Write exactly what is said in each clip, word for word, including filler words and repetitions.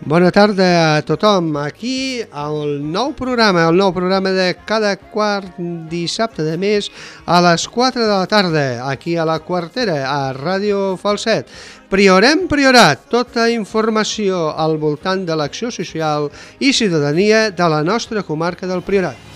Bona tarda a tothom, aquí al nou programa, el nou programa de cada quart dissabte de mes a les quatre de la tarda, aquí a la Quartera, a Ràdio Falset. Priorem Priorat, tota informació al voltant de l'acció social i ciutadania de la nostra comarca del Priorat.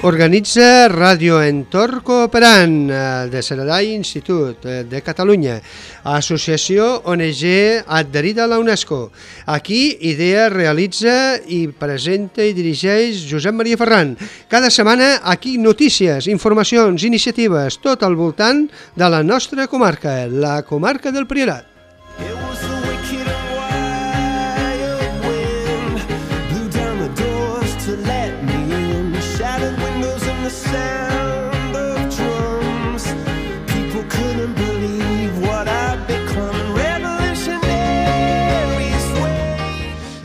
Organitza Ràdio Entorn Cooperant de Saradai Institut de Catalunya, associació O N G adherida a la UNESCO. Aquí idea, realitza i presenta i dirigeix Josep Maria Ferran. Cada setmana aquí notícies, informacions, iniciatives, tot al voltant de la nostra comarca, la comarca del Priorat.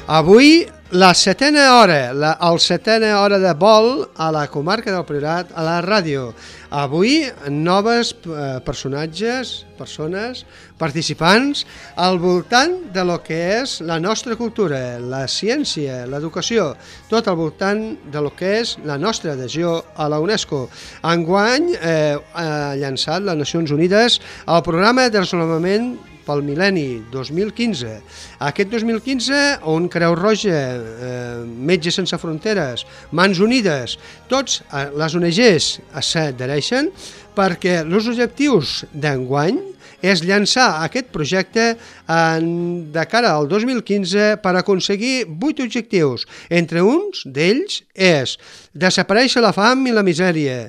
Avui, la setena hora, la el setena hora de vol a la comarca del Priorat, a la ràdio. Avui, noves eh, personatges, persones, participants, al voltant de lo que és la nostra cultura, la ciència, l'educació, tot al voltant de lo que és la nostra adhesió a la UNESCO. Enguany eh, ha llançat les Nacions Unides el programa de desenvolupament pel mil·lenni dos mil quinze. Aquest dos mil quinze, on Creu Roja, eh, Metges Sense Fronteres, Mans Unides, tots eh, les O N Ges s'adhereixen perquè els objectius d'enguany és llançar aquest projecte en, de cara al dos mil quinze per aconseguir vuit objectius. Entre uns d'ells és desaparèixer la fam i la misèria.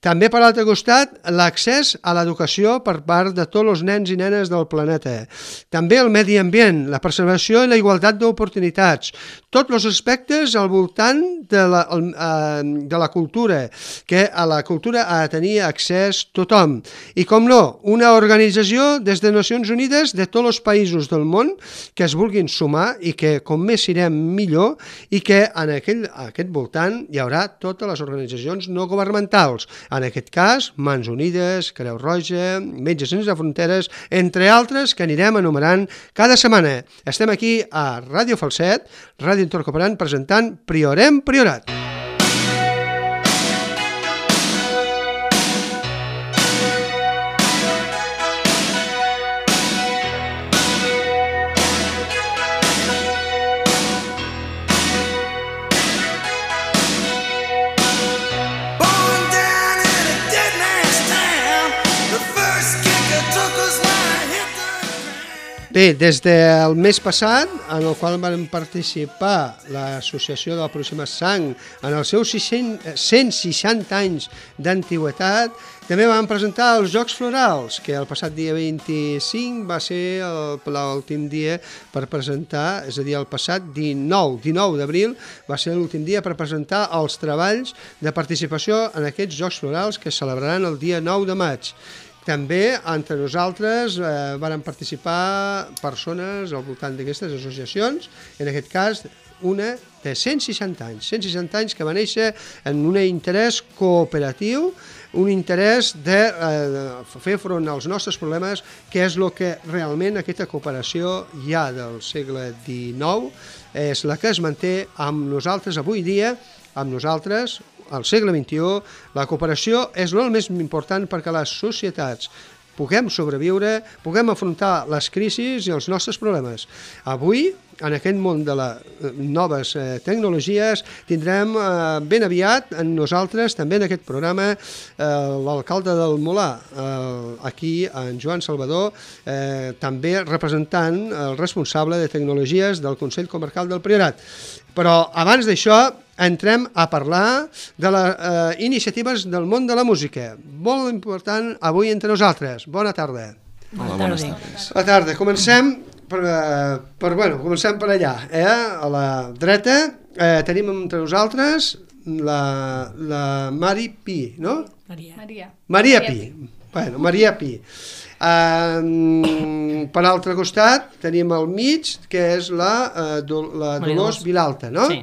També, per l'altre costat, l'accés a l'educació per part de tots els nens i nenes del planeta. També el medi ambient, la preservació i la igualtat d'oportunitats. Tots els aspectes al voltant de la, de la cultura, que a la cultura ha de tenir accés tothom. I, com no, una organització des de Nacions Unides de tots els països del món que es vulguin sumar i que, com més sirem, millor, i que en aquell, aquest voltant hi haurà totes les organitzacions no governamentals. En aquest cas, Mans Unides, Creu Roja, Metges Sense Fronteres, entre altres que anirem enumerant cada setmana. Estem aquí a Ràdio Falset, Ràdio Entorn Cooperant, presentant Priorem Priorat. Bé, des del mes passat, en el qual van participar l'Associació de la Puríssima Sang en els seus cent seixanta anys d'antiguitat, també van presentar els Jocs Florals, que el passat dia vint-i-cinc va ser l'últim dia per presentar, és a dir, el passat dinou d'abril va ser l'últim dia per presentar els treballs de participació en aquests Jocs Florals que es celebraran el dia nou de maig. També, entre nosaltres, eh, van participar persones al voltant d'aquestes associacions, en aquest cas una de cent seixanta anys, cent seixanta anys que va néixer en un interès cooperatiu, un interès de, eh, de fer front als nostres problemes, que és el que realment aquesta cooperació ja del segle dinou és la que es manté amb nosaltres avui dia, amb nosaltres, al segle vint-i-u, la cooperació és el més important perquè les societats puguem sobreviure, puguem afrontar les crisis i els nostres problemes. Avui, en aquest món de les noves eh, tecnologies, tindrem eh, ben aviat en nosaltres, també en aquest programa, eh, l'alcalde del Molar, eh, aquí en Joan Salvador, eh, també representant el responsable de tecnologies del Consell Comarcal del Priorat. Però abans d'això, entrem a parlar de les eh, iniciatives del món de la música. Molt important avui entre nosaltres. Bona tarda. Hola, bones tardes. Bona tarda. Comencem per, per, bueno, comencem per allà. Eh? A la dreta eh, tenim entre nosaltres la, la Mari Pi, no? Maria. Maria. Maria Pi. Bueno, Maria Pi. Uh, per l'altre costat tenim al mig, que és la, uh, Do la Dolors Vilalta, no? Sí.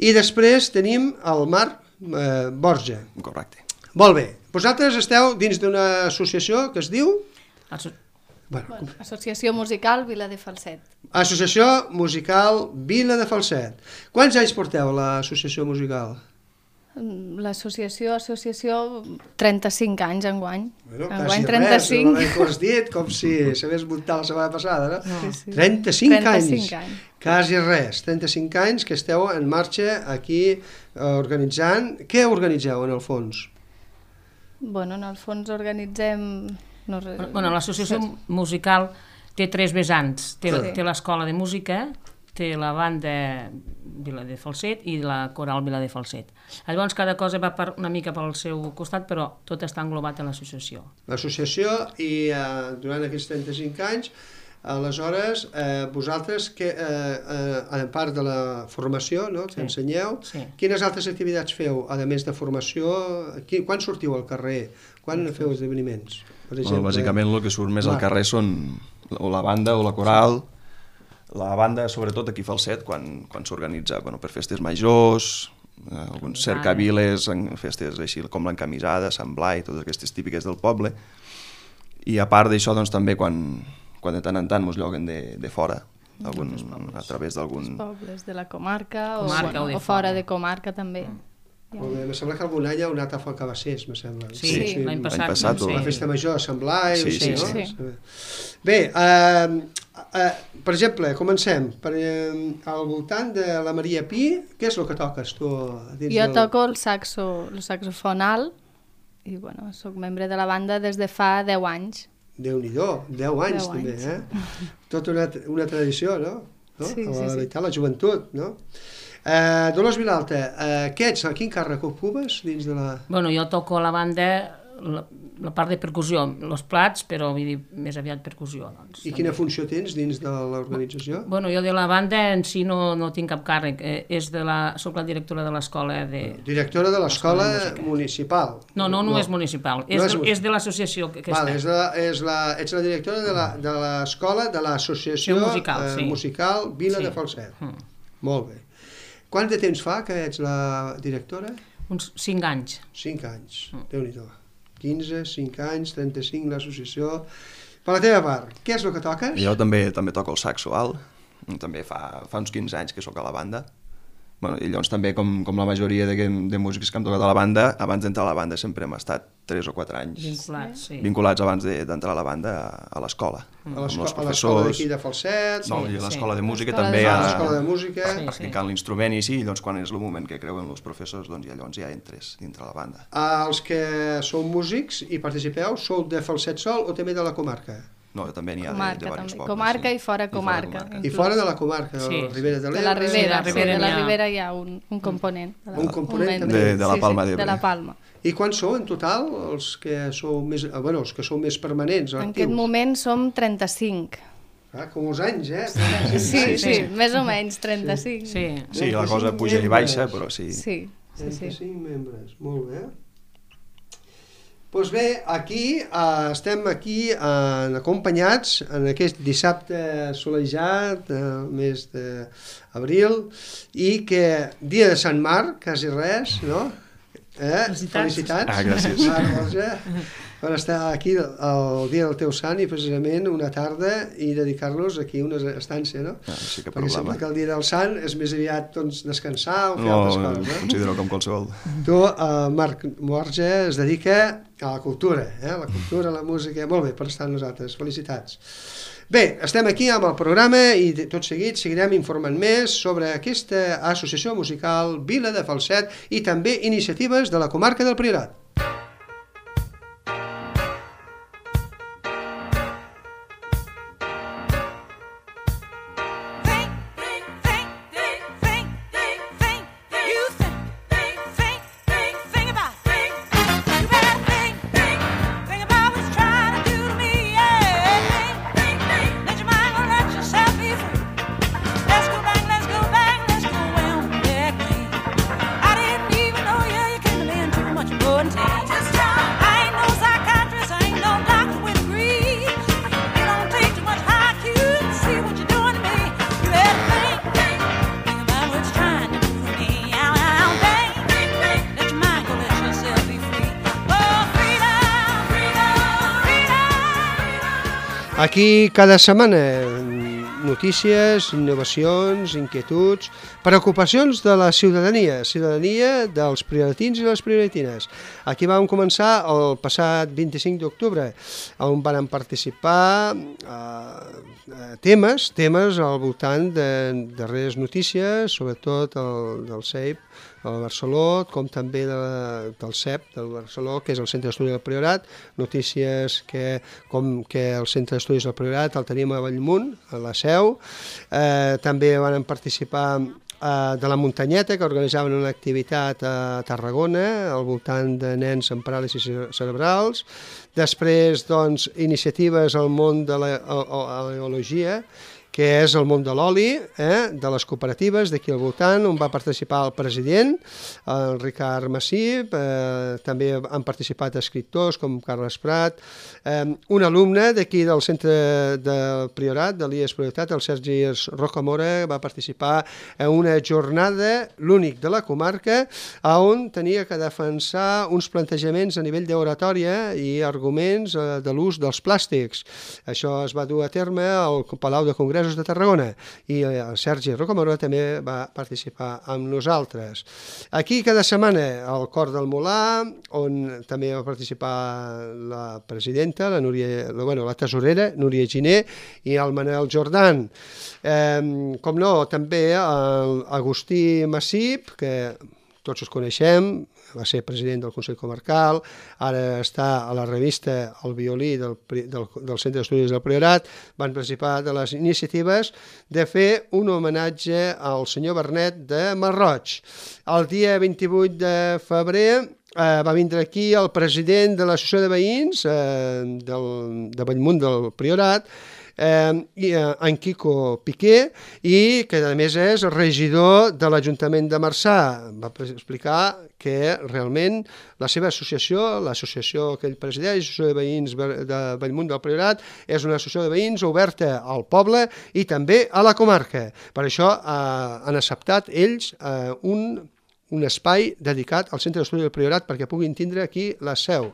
I després tenim el Marc uh, Borja. Correcte. Molt bé. Vosaltres esteu dins d'una associació que es diu... Asso Bueno, Bueno, Associació Musical Vila de Falset. Associació Musical Vila de Falset. Quants anys porteu a l'associació musical? L'associació, associació, trenta-cinc anys enguany. Bueno, enguany quasi trenta-cinc. res, no ho has dit, com si s'hagués muntat la setmana passada, no? Sí, sí. trenta-cinc, trenta-cinc anys. anys. Quasi res, trenta-cinc anys que esteu en marxa aquí eh, organitzant. Què organitzeu en el fons? Bueno, en el fons organitzem... No, Bueno, l'associació musical té tres vessants. Té, Sí. té l'escola de música, té la banda Vila de Falset i la coral Vila de Falset. Llavors cada cosa va per, una mica pel seu costat, però tot està englobat en l'associació. L'associació i eh, durant aquests trenta-cinc anys, aleshores, eh, vosaltres, que, eh, eh, a part de la formació, no, que Sí. ensenyeu, Sí. quines altres activitats feu, a més de formació? Qui, quan sortiu al carrer? Quan feu esdeveniments? Per Bueno, bàsicament el que surt més al carrer són o la banda o la coral. La banda, sobretot aquí a Falset, quan, quan s'organitza bueno, per festes majors, eh, alguns cercaviles, en festes així com l'encamisada, Sant Blai, totes aquestes típiques del poble. I a part d'això, doncs, també quan, quan de tant en tant ens lloguen de, de fora, algun, a través d'algun... pobles de la comarca, Comarca o, o de bueno, o fora fora. de comarca també. Molt bé, me sembla que algun any heu anat a Falcabassers, me sembla. Sí, Sí. l'any passat. L'any passat, sí. La festa major a Sant Blai, Sí, o sigui, sí, no? sí. Bé, eh, eh, per exemple, comencem. Per, eh, al voltant de la Maria Pi, què és el que toques tu? Dins Jo del... toco el saxo, el saxofon alt i bueno, soc membre de la banda des de fa deu anys. Déu-n'hi-do, deu anys Deu també, anys. eh? Tota una, una tradició, no? no? Sí, la, sí, sí. veritat, la joventut, no? Eh, Dolors Vilalta, eh, què ets? Quin càrrec ocupes dins de la... Bueno, jo toco a la banda la, la part de percussió, els plats, però vull dir, més aviat percussió. Doncs, I quina funció tens dins de l'organització? Bueno, jo de la banda en si no, no tinc cap càrrec, eh, és de la, soc la directora de l'escola de... Directora de l'escola L'escola de música. municipal. No, no, no, és municipal, és, No és de, mu- és de l'associació que, que Vale, és està. la, és la, ets la directora de la- de l'escola de l'associació Sí, musical, eh, sí. musical Vila Sí. de Falset. Mm. Molt bé. Quant de temps fa que ets la directora? Uns cinc anys. Cinc anys, Mm. Déu-n'hi-do. quinze, cinc anys, trenta-cinc, l'associació... Per la teva part, què és el que toques? Jo també també toco el saxo alt, també fa, fa uns quinze anys que sóc a la banda. Bueno, i llavors també, com, com la majoria de, de músics que hem tocat a la banda, abans d'entrar a la banda sempre hem estat tres o quatre anys Vinculats, sí. vinculats abans de- d'entrar a la banda a, a l'escola. A amb l'esco- els a l'escola d'aquí professors. de Falset, No, Sí, i a sí. l'escola de música L'escola també de- a, a l'escola de música... Sí. practicant l'instrument i així, i llavors quan és el moment que creuen els professors, doncs ja, llavors ja entres dintre la banda. Els que sou músics i participeu, sou de Falset sol o també de la comarca? No, també n'hi ha de, de Comarca diversos també. pobles. Comarca sí. i fora comarca. I fora de la comarca, de Sí. la Ribera de De l'Ebre... la Ribera, Sí, sí, de la de la Ribera Ribera hi ha un, un component. De la, Un component membre. també. De- de la Palma sí, d'Ebre. de la Palma. I quants sou en total els que sou més, eh, bueno, els que sou més permanents, En actius? aquest moment som trenta-cinc. Ah, com els anys, eh? Sí, sí, sí, sí. més o menys, trenta-cinc. Sí. Sí, la cosa puja i baixa, però sí. Sí, sí, sí. trenta-cinc membres, molt bé. Doncs bé, aquí eh, estem aquí eh, acompanyats en aquest dissabte solejat, eh, mes d'abril, i que dia de Sant Marc, quasi res, no? Eh? Felicitats. Felicitats. Ah, gràcies. Marc Borja, per estar aquí el dia del teu sant i precisament una tarda i dedicar-los aquí una estància, no? Ah, sí que Perquè sembla problema. que el dia del sant és més aviat doncs, descansar o fer No, altres ho coses, no? considero com qualsevol. Tu, uh, Marc Borja, es dedica a la cultura, eh? la cultura, la música... Molt bé, per estar amb nosaltres. Felicitats. Bé, estem aquí amb el programa i de- tot seguit seguirem informant més sobre aquesta associació musical Vila de Falset i també iniciatives de la comarca del Priorat. Let's go, well, yeah, I didn't even know you, you came to me and too much more than Aquí cada setmana notícies, innovacions, inquietuds, preocupacions de la ciutadania, ciutadania dels prioratins i les prioratines. Aquí vam començar el passat vint-i-cinc d'octubre, on van participar eh, temes, temes al voltant de darreres notícies, sobretot el, del C E I P, el Barceló, com també de, del C E P, del Barceló, que és el Centre d'Estudis del Priorat, notícies que, com que el Centre d'Estudis del Priorat el tenim a Bellmunt, a la Seu. Eh, també van participar eh, de la Muntanyeta, que organitzaven una activitat a Tarragona al voltant de nens amb paràlisis cerebrals. Després, doncs, iniciatives al món de l'eologia, que és el món de l'oli, eh, de les cooperatives d'aquí al voltant, on va participar el president, el Ricard Massip, eh, també han participat escriptors com Carles Prat, eh, un alumne d'aquí del centre de Priorat, de l'I E S Prioritat, el Sergi Rocamora, va participar en una jornada, l'únic de la comarca, on tenia que defensar uns plantejaments a nivell d'oratòria i arguments eh, de l'ús dels plàstics. Això es va dur a terme al Palau de Congressos de Tarragona i el Sergi Rocamora també va participar amb nosaltres. Aquí cada setmana al Cor del Molar, on també va participar la presidenta, la, Núria, la, bueno, la tesorera, Núria Giner, i el Manel Jordan. Eh, com no, també l'Agustí Massip, que tots els coneixem, va ser president del Consell Comarcal, ara està a la revista El Violí del, del, del Centre d'Estudis del Priorat, van participar de les iniciatives de fer un homenatge al senyor Bernet de Malroig. El dia vint-i-vuit de febrer eh, va vindre aquí el president de l'Associació de Veïns eh, del, de Bellmunt del Priorat, Eh, i, eh, en Quico Piqué, i que a més és regidor de l'Ajuntament de Marçà. Va explicar que realment la seva associació, l'associació que ell presideix, l'Associació de Veïns de Bellmunt del Priorat, és una associació de veïns oberta al poble i també a la comarca. Per això eh, han acceptat ells eh, un un espai dedicat al Centre d'Estudis del Priorat perquè puguin tindre aquí la seu,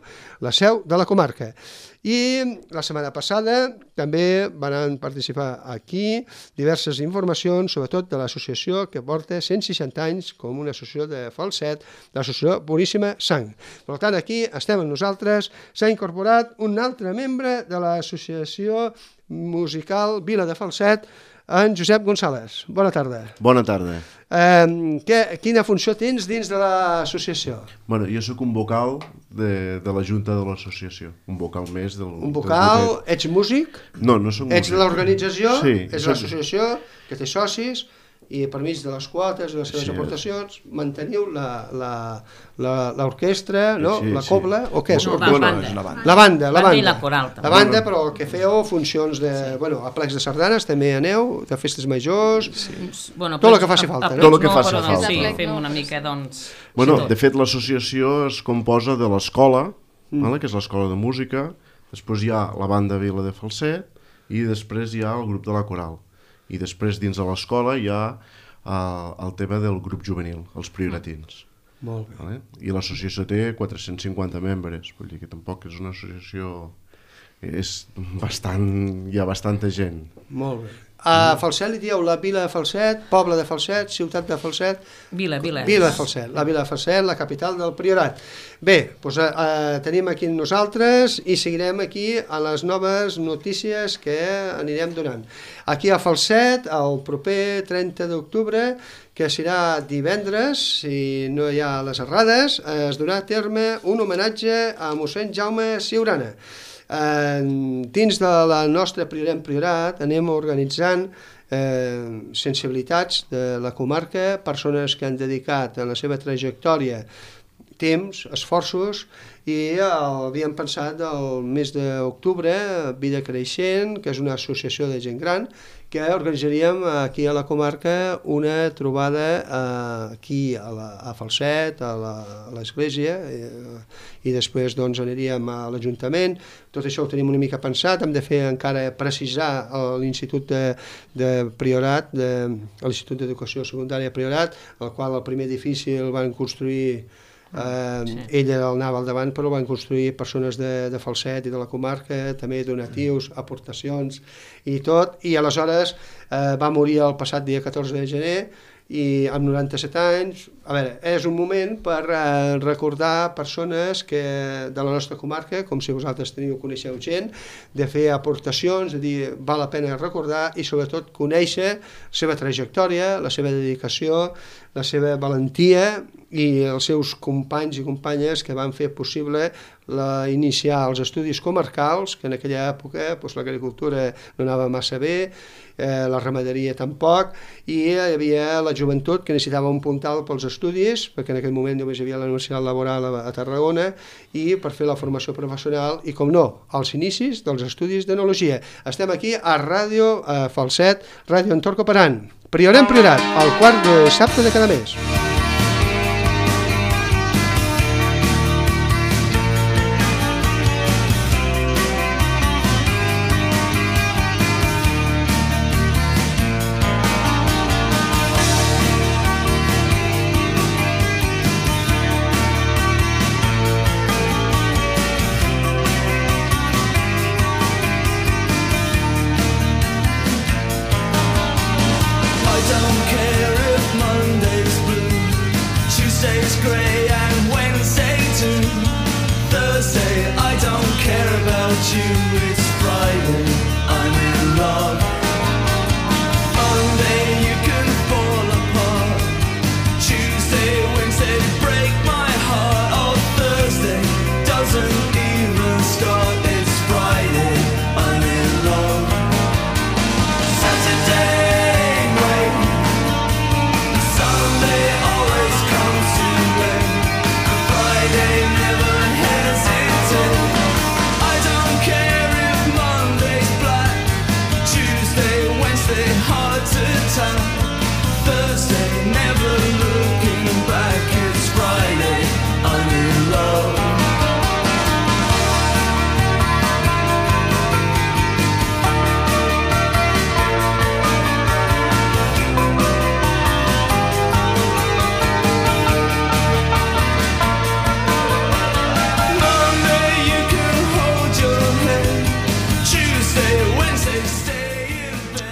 la seu de la comarca. I la setmana passada també van participar aquí diverses informacions, sobretot de l'associació que porta cent seixanta anys com una associació de Falset, l'associació Boníssima Sang. Per tant, aquí estem amb nosaltres, s'ha incorporat un altre membre de l'associació musical Vila de Falset, en Josep González. Bona tarda. Bona tarda. Eh, que, quina funció tens dins de l'associació? Bueno, jo sóc un vocal de, de la Junta de l'associació, un vocal més del... Un vocal, ets músic? No, no soc músic. Ets de l'organització? Sí. És l'associació que té socis i per mig de les quotes i les seves sí, aportacions manteniu l'orquestra, no? Sí, la cobla, sí. O què és? No, la, banda. És una banda. La banda, la banda. I la coral, també. La banda, però el que feu funcions de... Sí. Bueno, a plecs de sardanes també aneu, de festes majors, sí. Bueno, tot el que faci falta. A, a, tot el que no, faci falta. Sí, fem una mica, doncs... Bueno, de fet, l'associació es composa de l'escola, mm. vale, que és l'escola de música, després hi ha la banda Vila de Falset i després hi ha el grup de la coral. I després dins de l'escola hi ha uh, el tema del grup juvenil, els prioratins. Molt bé. Vale? I l'associació té quatre-cents cinquanta membres, vull dir que tampoc és una associació... És bastant... hi ha bastanta gent. Molt bé. A Falset li dieu la Vila de Falset, poble de Falset, ciutat de Falset... Vila, Vila. Vila de Falset, la Vila de Falset, la capital del Priorat. Bé, doncs eh, tenim aquí nosaltres i seguirem aquí a les noves notícies que anirem donant. Aquí a Falset, el proper trenta d'octubre, que serà divendres, si no hi ha les errades, es durà a terme un homenatge a mossèn Jaume Siurana. Eh, dins de la nostra Priorem Priorat anem organitzant eh, sensibilitats de la comarca, persones que han dedicat en la seva trajectòria temps, esforços, i havíem pensat el mes d'octubre, Vida Creixent, que és una associació de gent gran, que organitzaríem aquí a la comarca una trobada eh, aquí a, la, a Falset, a l'església, eh, i després doncs, aniríem a l'Ajuntament. Tot això ho tenim una mica pensat, hem de fer encara precisar l'Institut de, de Priorat, de, l'Institut d'Educació Secundària Priorat, el qual el primer edifici el van construir Uh, sí. Ella anava al davant, però van construir persones de, de Falset i de la comarca, també donatius, aportacions i tot, i aleshores uh, va morir el passat dia catorze de gener i amb noranta-set anys. A veure, és un moment per uh, recordar persones que, de la nostra comarca, com si vosaltres teniu, coneixeu gent, de fer aportacions, de dir, val la pena recordar i sobretot conèixer la seva trajectòria, la seva dedicació, la seva valentia i els seus companys i companyes que van fer possible la, iniciar els estudis comarcals, que en aquella època doncs, l'agricultura no anava massa bé, eh, la ramaderia tampoc, i hi havia la joventut que necessitava un puntal pels estudis, perquè en aquell moment només hi havia la Universitat Laboral a, a Tarragona, i per fer la formació professional, i com no, als inicis dels estudis d'enologia. Estem aquí a Ràdio eh, Falset, Ràdio Entorn Cooperant, Priorat en Priorat, el quart de dissabte de cada mes.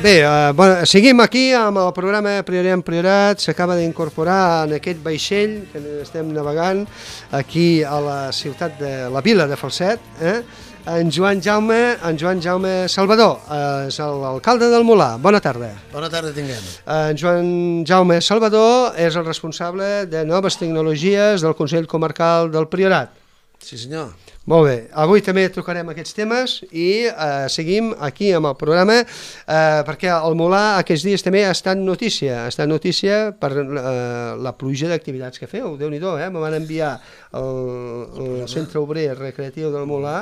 Bé, eh, bueno, seguim aquí amb el programa Priorat en Priorat. S'acaba d'incorporar en aquest vaixell que estem navegant aquí a la ciutat de la vila de Falset, eh? en Joan Jaume, en Joan Jaume Salvador, eh, és l'alcalde del Molar. Bona tarda. Bona tarda tinguem. En Joan Jaume Salvador és el responsable de noves tecnologies del Consell Comarcal del Priorat. Sí senyor. Molt bé, avui també tocarem aquests temes i eh, seguim aquí amb el programa eh, perquè el Molar aquests dies també ha estat notícia, ha estat notícia per eh, la pluja d'activitats que feu, Déu-n'hi-do, eh? Me van enviar el, el Centre Obrer Recreatiu del Molar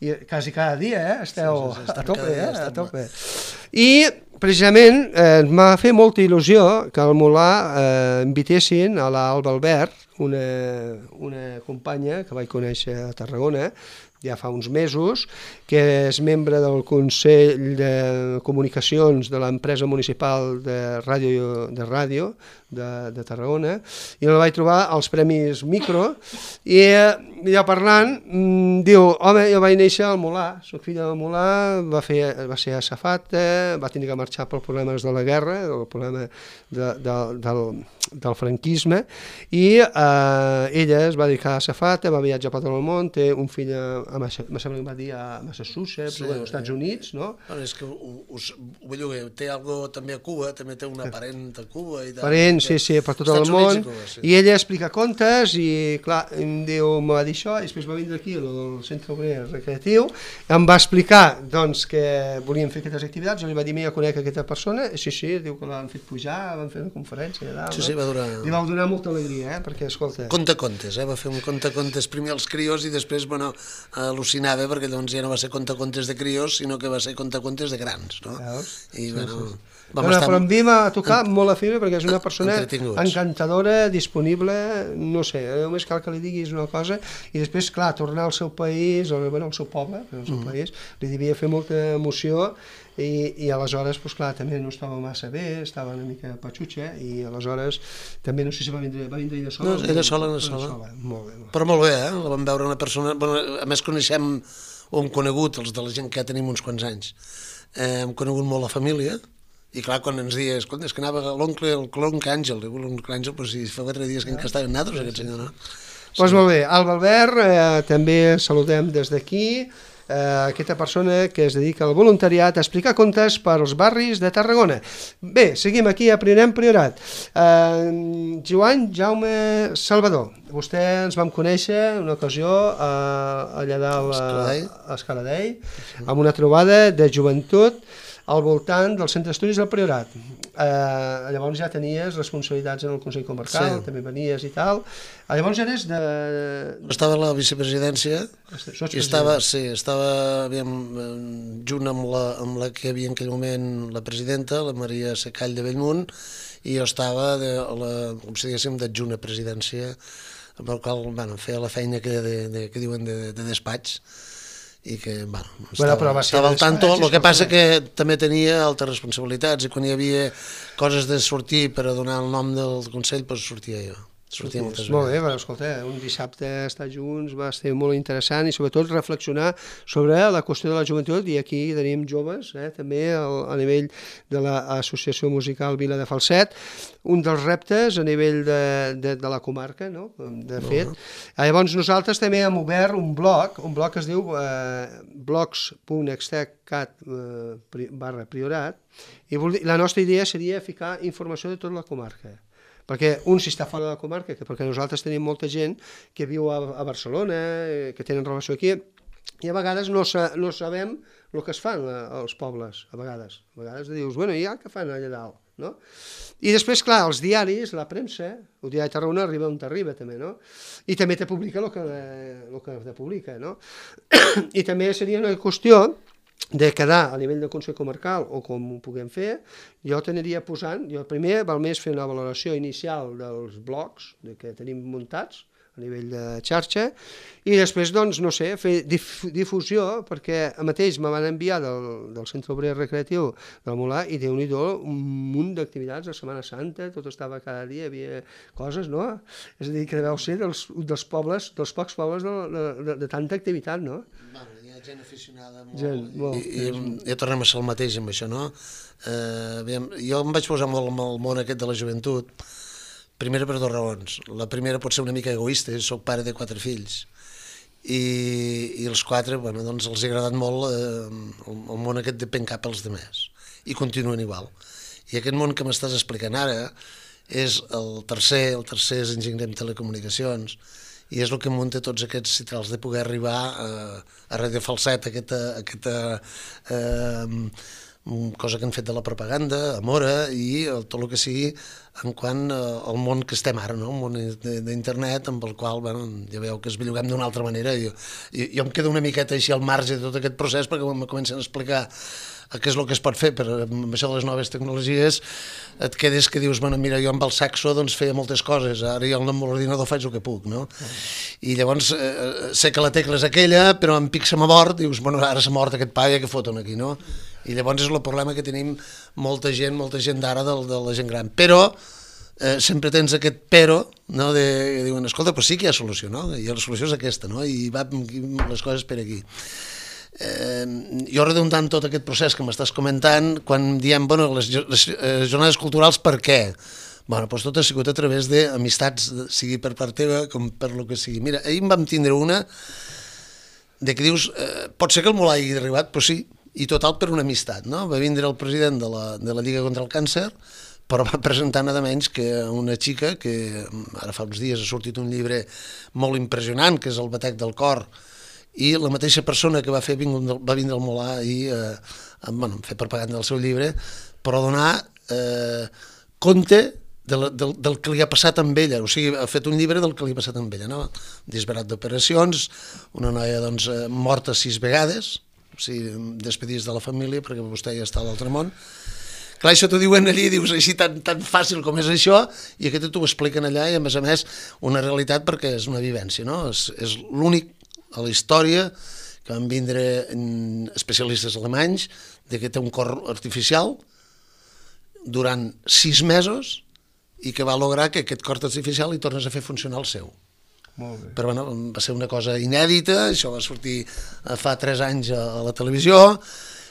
i quasi cada dia eh? Esteu sí, sí, sí, a tope, eh? a tope. I precisament eh, m'ha fet molta il·lusió que al Molar eh, invitessin a l'Alba Albert, una, una companya que vaig conèixer a Tarragona ja fa uns mesos, que és membre del Consell de Comunicacions de l'empresa municipal de ràdio de, ràdio de, de Tarragona, i la vaig trobar als Premis Micro, i ja parlant, mmm, diu, home, jo vaig néixer al Molar, soc filla del Molar, va, fer, va ser azafata, va tenir que marxar pels problemes de la guerra, el problema de, de, del, del franquisme, i eh, ella es va dedicar a azafata, va viatjar per tot el món, té un fill a, a me sembla que va dir a Massachusetts, sí, bueno, als Estats Units, no? Bueno, és que us, ho vull dir, té algo també a Cuba, també té una parent a Cuba. I parent, sí, sí, per tot el món, i, Cuba, sí. I ella explica contes i, clar, em diu, me va dir això, i després va vindre aquí al Centre Obrer Recreatiu, em va explicar, doncs, que volien fer aquestes activitats, jo li va dir, mira, conec aquesta persona, i sí, sí, diu que l'han fet pujar, van fer una conferència allà, sí, sí, va durar... Li va donar molta alegria, eh, perquè, escolta... Conta contes, eh, va fer un conta contes primer als crios i després, bueno, al·lucinava perquè llavors ja no va ser contacontes de crios, sinó que va ser contacontes de grans, no? Veus? I, Sí, bueno, sí. vam No, no, estar... però amb mi m'ha tocat molt la fibra perquè és una persona Entretinguts. encantadora, disponible, no sé, només cal que li diguis una cosa i després, clar, tornar al seu país, o, bueno, al seu poble, al seu mm. país, li devia fer molta emoció i, i aleshores, doncs clar, també no estava massa bé, estava una mica patxutxa i aleshores també no sé si va vindre, va vindre ella sola. No, ella sola, ella sola. sola. Molt bé, molt bé. Però molt bé, eh? La vam veure una persona... Bueno, a més coneixem, o hem conegut, els de la gent que ja tenim uns quants anys, eh, hem conegut molt la família, i clar, quan ens dies, escolta, és que anava l'oncle, l'oncle Àngel, diu l'oncle Àngel, però si fa quatre dies que encara estaven nosaltres, aquest senyor, no? Doncs pues molt bé, Alba Albert, eh, també saludem des d'aquí, eh, aquesta persona que es dedica al voluntariat a explicar contes per als barris de Tarragona. Bé, seguim aquí a Priorat Priorat. Eh, Joan Jaume Salvador, vostè ens vam conèixer una ocasió eh, allà dalt a, a Escaladell, amb una trobada de joventut al voltant del Centre d'Estudis del Priorat. Eh, llavors ja tenies responsabilitats en el Consell Comarcal, sí. També venies i tal. Eh, llavors ja eres de... Estava a la vicepresidència i estava, sí, estava aviam, junt amb la, amb la que hi havia en aquell moment la presidenta, la Maria Secall de Bellmunt, i jo estava, de, la, com si diguéssim, d'adjunt a presidència, amb el qual bueno, feia la feina que, de, de, que diuen de, de despatx, i que, bueno, estava, bueno, estava al tanto, el que passa que també tenia altres responsabilitats i quan hi havia coses de sortir per a donar el nom del Consell, doncs sortia jo. Sortia moltes vegades. Molt bé, però escolta, un dissabte estar junts va ser molt interessant i sobretot reflexionar sobre la qüestió de la joventut i aquí tenim joves, eh, també al, a nivell de l'Associació Musical Vila de Falset, un dels reptes a nivell de, de, de la comarca, no? De fet. Uh-huh. Llavors nosaltres també hem obert un blog, un blog que es diu eh, blogs punt extec.cat eh, barra priorat i la nostra idea seria ficar informació de tota la comarca. Perquè un si està fora de la comarca, que perquè nosaltres tenim molta gent que viu a, a Barcelona, que tenen relació aquí, i a vegades no, sa, no sabem el que es fan als pobles, a vegades. A vegades dius, bueno, i ja què fan allà dalt, no? I després, clar, els diaris, la premsa, el diari de Tarragona arriba on t'arriba també, no? I també te publica el que, el que te publica, no? I també seria una qüestió de quedar a nivell del Consell Comarcal o com ho puguem fer, jo t'aniria posant, jo primer val més fer una valoració inicial dels blogs que tenim muntats a nivell de xarxa i després, doncs, no sé, fer dif difusió perquè a mateix me van enviar del, del Centre Obrer Recreatiu del Molar i Déu-n'hi-do un munt d'activitats, la Setmana Santa, tot estava cada dia, hi havia coses, no? És a dir, que deveu ser dels, dels pobles, dels pocs pobles de, de, de, de tanta activitat, no? Bueno, hi ha gent aficionada molt, gent, molt. I, i, i tornem a ser el mateix amb això, no? Eh, aviam, jo em vaig posar molt amb el món aquest de la joventut, primera per dues raons. La primera pot ser una mica egoista, soc pare de quatre fills, i, i els quatre, bueno, doncs els ha agradat molt eh, el, el món aquest de pencar pels demés, i continuen igual. I aquest món que m'estàs explicant ara és el tercer, el tercer és enginyer en telecomunicacions, i és el que munta tots aquests citrals de poder arribar a, a Radio Falset, aquesta, aquesta eh, cosa que han fet de la propaganda, a Mora, i el, tot el que sigui en quant al món que estem ara, no? Un món d'internet amb el qual, bueno, ja veieu que es belluguem d'una altra manera. Jo, jo, jo em quedo una miqueta així al marge de tot aquest procés perquè quan me comencen a explicar què és el que es pot fer per amb això de les noves tecnologies, et quedes que dius, bueno, mira, jo amb el saxo doncs feia moltes coses, ara jo amb l'ordinador faig el que puc, no? I llavors eh, sé que la tecla és aquella, però em pic se m'ha mort, dius, bueno, ara s'ha mort aquest paia, que foten aquí, no? I llavors és el problema que tenim molta gent, molta gent d'ara de, de la gent gran. Però eh, sempre tens aquest però, no? De, que diuen, escolta, però sí que hi ha solució, no? I la solució és aquesta, no? I va les coses per aquí. Eh, jo redundant tot aquest procés que m'estàs comentant, quan diem, bueno, les, les eh, jornades culturals, per què? Bueno, doncs tot ha sigut a través d'amistats, sigui per part teva com per lo que sigui. Mira, ahir en vam tindre una de que dius, eh, pot ser que el Molar hagi arribat, però sí, i total per una amistat, no? Va vindre el president de la, de la Lliga contra el Càncer, però va presentar nada menys que una xica que ara fa uns dies ha sortit un llibre molt impressionant, que és El batec del cor, i la mateixa persona que va fer va vindre al Molar i eh, bueno, fer propaganda del seu llibre, però donar eh, compte del, del, del que li ha passat amb ella, o sigui, ha fet un llibre del que li ha passat amb ella, no? Disbarat d'operacions, una noia doncs, morta sis vegades, o sigui, despedits de la família perquè vostè ja està a l'altre món. Clar, això t'ho diuen allí, dius així tan, tan fàcil com és això, i aquest t'ho expliquen allà, i a més a més una realitat perquè és una vivència, no? És, és l'únic a la història que van vindre especialistes alemanys de que té un cor artificial durant sis mesos i que va lograr que aquest cor artificial li tornés a fer funcionar el seu. Molt bé. Però bueno, va ser una cosa inèdita, això va sortir fa tres anys a la televisió,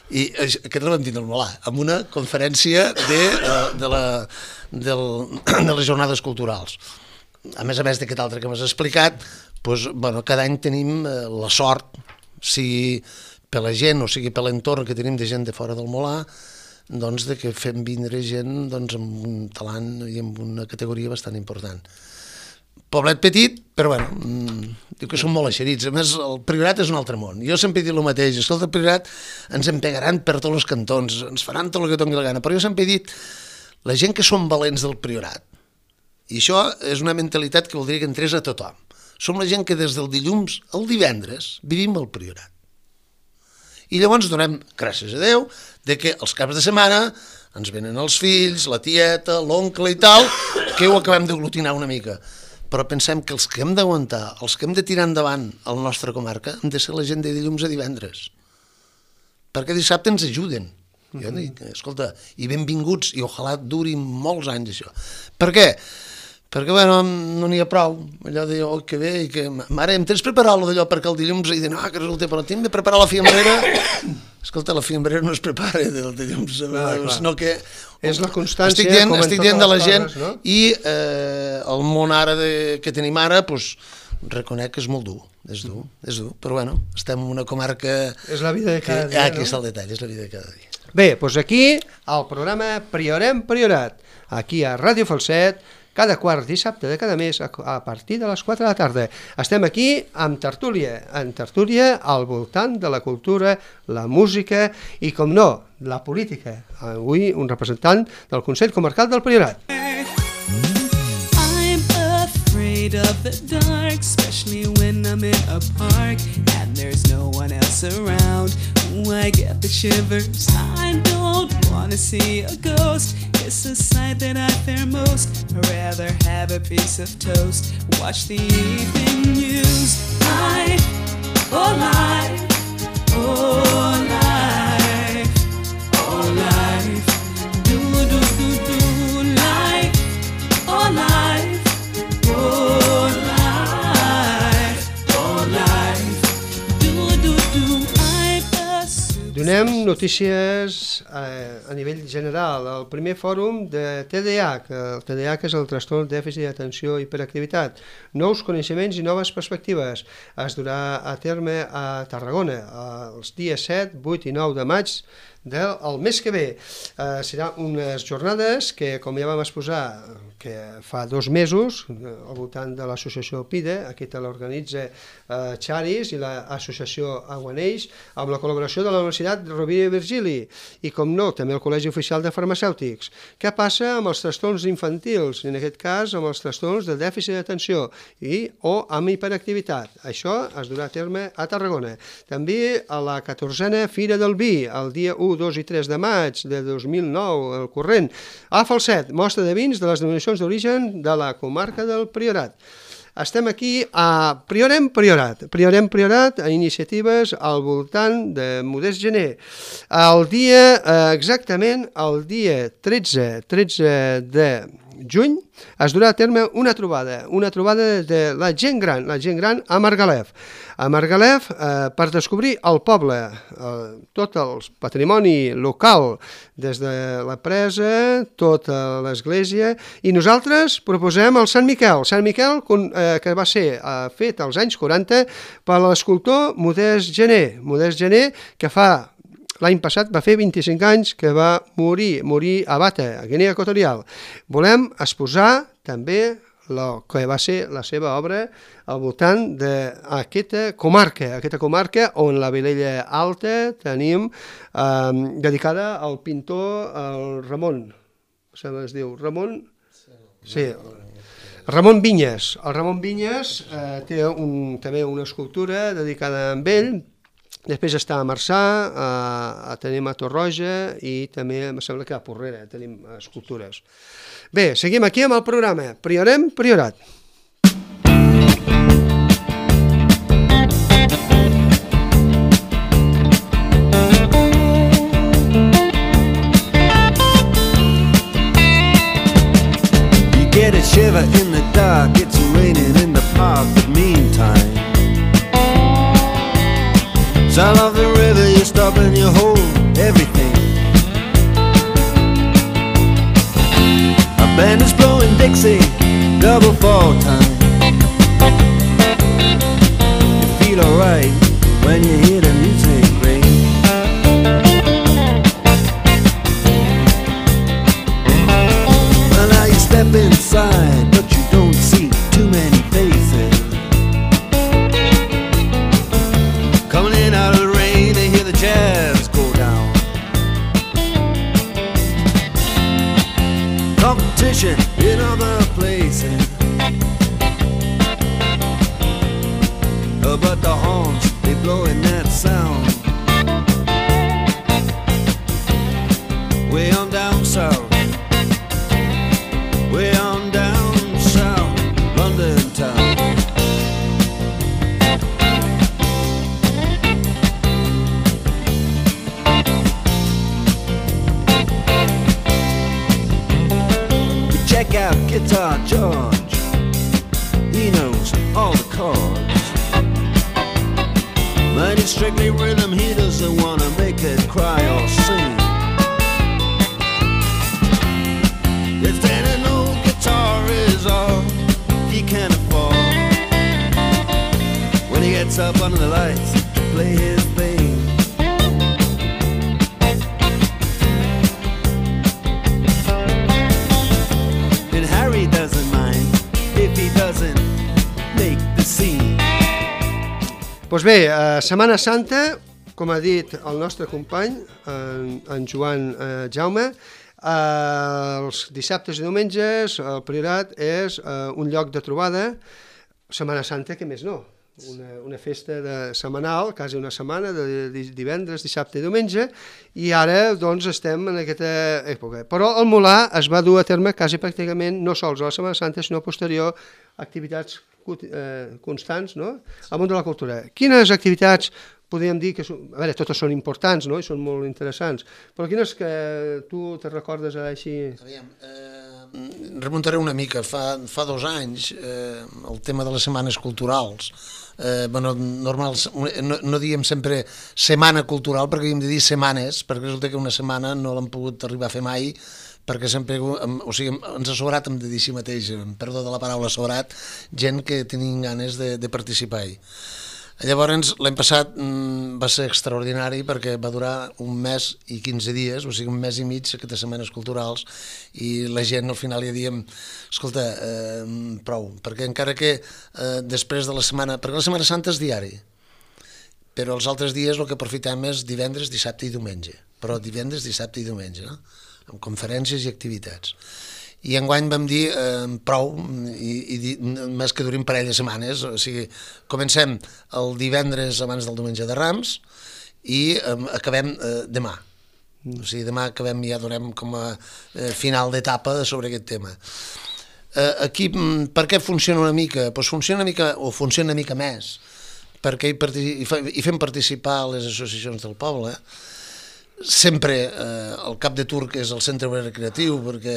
i aquest el vam tindre al Molà, amb una conferència de, de, la, del, de les jornades culturals. A més a més d'aquest altre que m'has explicat, doncs, bueno, cada any tenim la sort, sigui per la gent o sigui per l'entorn que tenim de gent de fora del Molà, doncs de que fem vindre gent doncs, amb un talant i amb una categoria bastant important. Poblet petit, però bueno, mmm, diu que són molt eixerits. A més, el Priorat és un altre món. Jo sempre he dit el mateix, escolta, el Priorat ens empegaran per tots els cantons, ens faran tot el que doni la gana, però jo sempre he dit, la gent que són valents del Priorat, i això és una mentalitat que voldria que entrés a tothom, som la gent que des del dilluns al divendres vivim al Priorat. I llavors donem, gràcies a Déu, de que els caps de setmana ens venen els fills, la tieta, l'oncle i tal, que ho acabem d'aglutinar una mica. Però pensem que els que hem d'aguantar, els que hem de tirar endavant a la nostra comarca, han de ser la gent de dilluns a divendres. Perquè dissabte ens ajuden. Jo dic, escolta, i benvinguts, i ojalà duri molts anys això. Per què? Perquè, bueno, no n'hi ha prou. Allò de, oh, que bé, i que... Mare, em tens preparat d'allò perquè el dilluns he dit, no, que resulta, però tinc de preparar la fiambrera. Escolta, la fiambrera no es prepara del dilluns, ah, sinó que... És la constància, estic dient, com en estic totes dient de la les gent, coses, no? I eh, el món ara de, que tenim ara, doncs, reconec que és molt dur, és dur, és dur, però bueno, estem en una comarca... És la vida de cada que, dia, ah, aquí no? està el detall, és la vida de cada dia. Bé, doncs aquí, al programa Priorem Priorat, aquí a Ràdio Falset, cada quart dissabte de cada mes a partir de les quatre de la tarda. Estem aquí amb tertúlia, en tertúlia al voltant de la cultura, la música i, com no, la política. Avui un representant del Consell Comarcal del Priorat. I'm afraid of the dark, especially when I'm in a park and there's no one else around. Ooh, I get the shivers. I don't want to see a ghost. It's a sight that I fear most. I'd rather have a piece of toast. Watch the evening news. Life, oh life, oh life, oh life. Do do do do life, oh life, oh life, oh life. Do do do. I've assumed. Donem notícies eh, a nivell general. El primer fòrum de T D A H, el T D A H és el trastorn dèficit d'atenció i hiperactivitat. Nous coneixements i noves perspectives. Es durà a terme a Tarragona els dies set, vuit i nou de maig del mes que ve. Eh, serà unes jornades que, com ja vam exposar, que fa dos mesos, al voltant de l'associació PIDE, aquí te l'organitza eh, Charis i l'associació Aguaneix, amb la col·laboració de la Universitat Rovira i Virgili, i com no, també el Col·legi Oficial de Farmacèutics. Què passa amb els trastorns infantils, en aquest cas amb els trastorns de dèficit d'atenció i o amb hiperactivitat? Això es durà a terme a Tarragona. També a la catorzena Fira del Vi, el dia u, dos i tres de maig de dos mil nou, el corrent. A Falset, mostra de vins de les denominacions d'origen de la comarca del Priorat. Estem aquí a Priorem Priorat. Priorem Priorat a iniciatives al voltant de Modest Gener. El dia, exactament el dia tretze de juny, es durà a terme una trobada, una trobada de la gent gran, la gent gran a Margalef. A Margalef, eh, per descobrir el poble, eh, tot el patrimoni local, des de la presa, tota l'església, i nosaltres proposem el Sant Miquel, Sant Miquel eh, que va ser eh, fet als anys quaranta per l'escultor Modest Gener, Modest Gener, que fa l'any passat va fer vint-i-cinc anys que va morir, morir a Bata, a Guinea Equatorial. Volem exposar també el que va ser la seva obra al voltant d'aquesta comarca, aquesta comarca on la Vilella Alta tenim eh, dedicada al pintor el Ramon, se es diu Ramon... Sí. Ramon Vinyes. El Ramon Vinyes eh, té un, també una escultura dedicada a ell. Després està a Marçà, a, a tenim a Torroja i també em sembla que a Porrera tenim escultures. Bé, seguim aquí amb el programa. Priorem, priorat. Get a shiver in the dark, it's raining in the park, but meantime sound of the river, you stop and you hold everything. A band is blowing Dixie, double fall time. You feel alright when you hear the music ring. Well, now you step inside, but you don't see too many faces. Coming in out of the rain, they hear the jazz go down. Competition in other places, oh, but the horns, they blowing that sound. Way on down south, way on down south, London town. We check out Guitar George, he knows all the chords. But it's strictly rhythm, he doesn't wanna make it cry or sing. If then an old guitar is all he can afford, when he gets up under the lights to play his thing. And Harry doesn't mind if he doesn't make the scene. Doncs bé, a Setmana Santa, com ha dit el nostre company, en, en Joan eh, Jaume, eh, els dissabtes i diumenges el Priorat és eh, un lloc de trobada. Setmana Santa, què més no? Una, una festa de setmanal, quasi una setmana, de divendres, dissabte i diumenge, i ara doncs estem en aquesta època. Però el Molar es va dur a terme quasi pràcticament, no sols a la Setmana Santa, sinó posterior, activitats eh, constants, no?, al món de la cultura. Quines activitats podríem dir que són, a veure, totes són importants, no?, i són molt interessants, però quines que tu te recordes ara així? Aviam, eh, remuntaré una mica, fa, fa dos anys, eh, el tema de les setmanes culturals, eh, bueno, normal, no, no diem sempre setmana cultural, perquè hem de dir setmanes, perquè resulta que una setmana no l'hem pogut arribar a fer mai, perquè sempre, o sigui, ens ha sobrat, hem de dir així mateix, perdó de la paraula sobrat, gent que tenien ganes de, de participar-hi. Llavors, l'any passat va ser extraordinari perquè va durar un mes i quinze dies, o sigui, un mes i mig, aquestes setmanes culturals, i la gent al final ja diem, escolta, eh, prou, perquè encara que eh, després de la setmana, perquè la Setmana Santa és diari, però els altres dies el que aprofitem és divendres, dissabte i diumenge, però divendres, dissabte i diumenge, no?, amb conferències i activitats. I enguany vam dir eh, prou, i, i més que durin parell de setmanes, o sigui, comencem el divendres abans del diumenge de Rams i eh, acabem eh, demà. O sigui, demà acabem, ja donem com a eh, final d'etapa sobre aquest tema. Eh, aquí, per què funciona una mica? Pues funciona una mica, o funciona una mica més, perquè hi, hi fem participar les associacions del poble. Sempre eh, el cap de turc és el centre recreatiu, perquè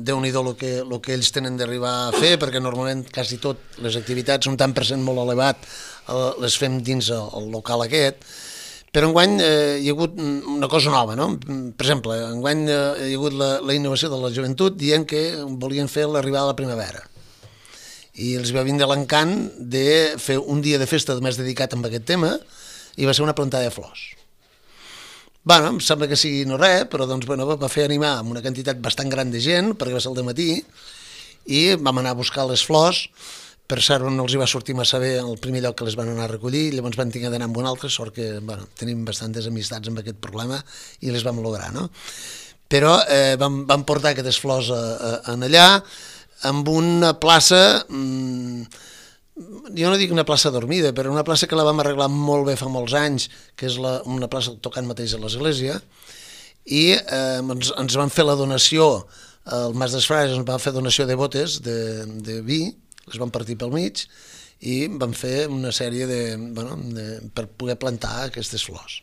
déu-n'hi-do el que, el que ells tenen d'arribar a fer, perquè normalment quasi tot les activitats, un tant per cent molt elevat, eh, les fem dins el, el local aquest, però enguany eh, hi ha hagut una cosa nova, no? Per exemple, enguany eh, hi ha hagut la, la innovació de la joventut dient que volien fer l'arribada de la primavera, i els va vindre l'encant de fer un dia de festa més dedicat a aquest tema, i va ser una plantada de flors. Bueno, em sembla que sigui no res, però doncs, bueno, va fer animar amb una quantitat bastant gran de gent, perquè va ser el dematí, i vam anar a buscar les flors. Per cert, no els hi va sortir massa bé el primer lloc que les van anar a recollir, llavors van tenir d'anar amb un altre, sort que bueno, tenim bastantes amistats amb aquest problema i les vam lograr, no? Però eh, vam, vam portar aquestes flors a, a, a allà, amb una plaça, mmm, jo no dic una plaça dormida, però una plaça que la vam arreglar molt bé fa molts anys, que és la, una plaça tocant mateix a l'església, i eh, ens, ens van fer la donació, el Mas dels Frares ens va fer donació de botes de, de vi, les van partir pel mig, i van fer una sèrie de, bueno, de, per poder plantar aquestes flors.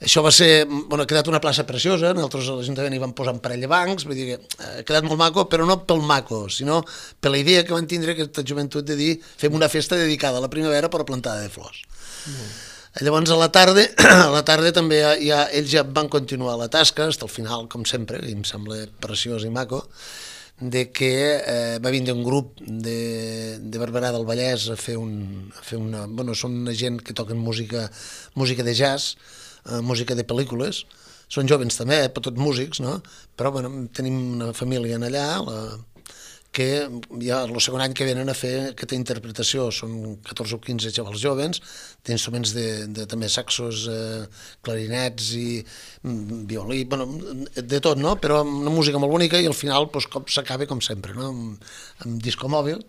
Això va ser, bueno, ha quedat una plaça preciosa, nosaltres a l'Ajuntament hi vam posar un parell de bancs, vull dir que ha quedat molt maco, però no pel maco, sinó per la idea que van tindre aquesta joventut de dir fem una festa dedicada a la primavera per a plantada de flors. Mm. Llavors a la tarda, a la tarda també ja, ells ja van continuar la tasca, fins al final, com sempre, i em sembla preciós i maco, de que eh, va vindre un grup de, de Barberà del Vallès a fer, un, a fer una... Bueno, són una gent que toquen música, música de jazz, eh, música de pel·lícules, són jovens també, eh, tots músics, no? Però bueno, tenim una família allà, la, que ja el segon any que venen a fer aquesta interpretació, són catorze o quinze xavals jovens, d'instruments de, de també saxos, eh, clarinets i mm, violí, bueno, de tot, no? Però amb una música molt bonica i al final pues, s'acaba com sempre, no? Amb, amb disco mòbil,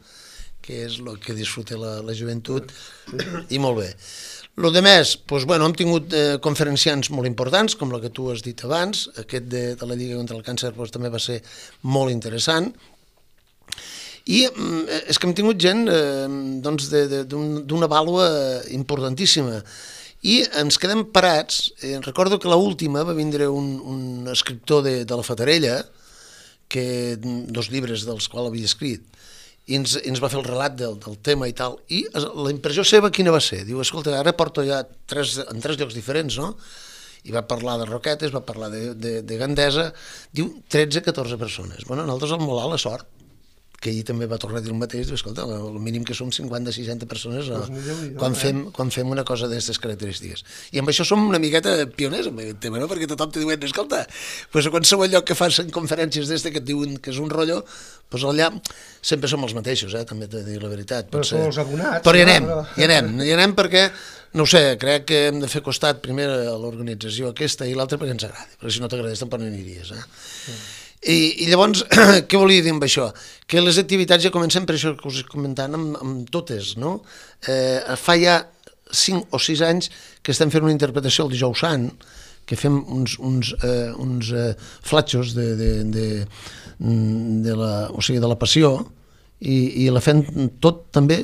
que és el que disfruta la, la joventut, i molt bé. Lo de més, doncs, bueno, hem tingut eh, conferenciants molt importants, com la que tu has dit abans, aquest de, de la Lliga contra el Càncer doncs, també va ser molt interessant, i és que hem tingut gent eh, doncs d'una vàlua importantíssima i ens quedem parats. Eh, recordo que l'última va vindre un, un escriptor de, de la Fatarella, que, dos llibres dels quals havia escrit, i ens, ens va fer el relat del, del tema i tal, i la impressió seva quina va ser? Diu, escolta, ara porto ja tres, en tres llocs diferents, no? I va parlar de Roquetes, va parlar de, de, de Gandesa, diu tretze a catorze persones. Bueno, nosaltres al Molar la sort, que ahir també va tornar a dir el mateix, diu, escolta, el mínim que som cinquanta a seixanta persones no, quan, fem, quan fem una cosa d'aquestes característiques. I amb això som una miqueta pioners amb aquest tema, no? Perquè tothom te diuen, escolta, pues a qualsevol lloc que fas conferències d'este que et diuen que és un rotllo, pues allà sempre som els mateixos, eh? També t'he de dir la veritat. Però som els abonats. Però hi anem, hi anem, hi anem perquè, no ho sé, crec que hem de fer costat primer a l'organització aquesta i l'altra perquè ens agradi, perquè si no t'agradés tampoc no aniries, eh? Sí. I, i llavors, què volia dir amb això? Que les activitats ja comencem, per això que us he comentat, amb, amb totes, no? Eh, fa ja cinc o sis anys que estem fent una interpretació el Dijous Sant, que fem uns, uns, eh, uns eh, flatxos de, de, de, de, la, o sigui, de la passió, i, i la fem tot també